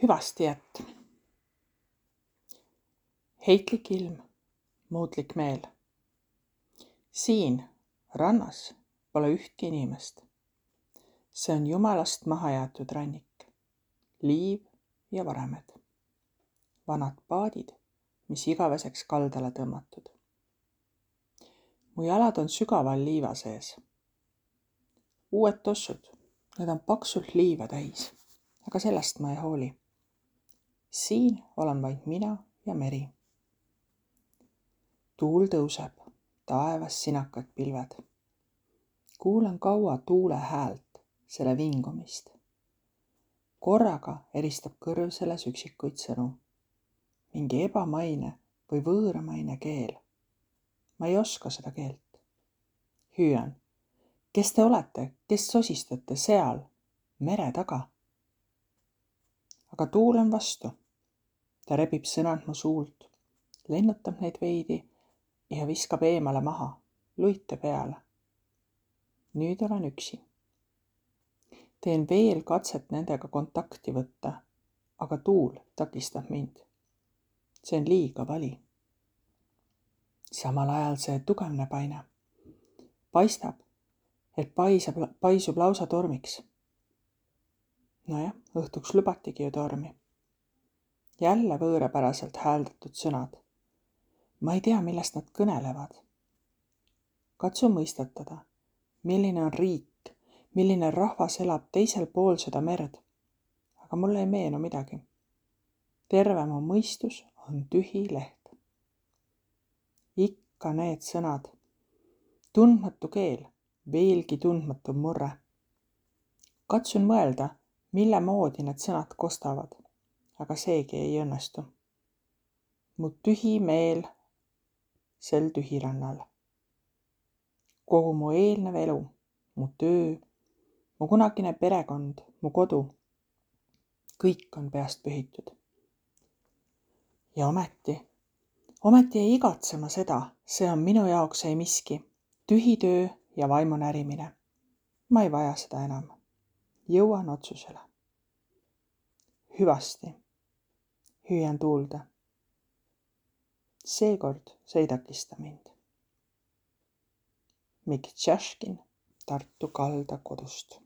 Hüvasti jätt. Heitlik ilm, muutlik meel. Siin rannas pole ühtki inimest. See on jumalast maha jäetud rannik. Liiv ja varemed. Vanad paadid, mis igaveseks kaldale tõmmatud. Mu jalad on sügaval liiva sees. Uued tossud, need on paksult liiva täis, aga sellest ma ei hooli. Siin olen vaid mina ja meri. Tuul tõuseb, taevas sinakad pilved. Kuulen kaua tuule häält, selle vingumist. Korraga eristab kõrv selles üksikuid sõnu. Mingi ebamaine või võõramaine keel. Ma ei oska seda keelt. Hüüan, kes te olete, kes sosistate seal, mere taga? Aga tuul on vastu. Ta rebib sõnad mu suult, lennutab neid veidi ja viskab eemale maha, luite peale. Nüüd olen üksi. Teen veel katset nendega kontakti võtta, aga tuul takistab mind. See on liiga vali. Samal ajal see tugevneb aina. Paistab, et paisub lausa tormiks. Nojah, õhtuks lubatigi ju tormi. Jälle võõrapäraselt hääldatud sõnad. Ma ei tea, millest nad kõnelevad. Katsu mõistatada, milline on riik, milline rahvas elab teisel pool seda merd. Aga mulle ei meenu midagi. Terve mu mõistus on tühi leht. Ikka need sõnad. Tundmatu keel, veelgi tundmatu murre. Katsun mõelda, mille moodi need sõnad kostavad, aga seegi ei õnnestu. Mu tühi meel sel tühirannal. Kogu mu eelnev elu, mu töö, mu kunagine perekond, mu kodu, kõik on peast pühitud. Ja ometi ei igatse ma seda, see on minu jaoks ei miski, tühi töö ja vaimu närimine. Ma ei vaja seda enam. Jõuan otsusele. Hüvasti, hüüan tuulde. Seekord see ei takista mind. Mikk Tšaškin Tartu kalda kodust.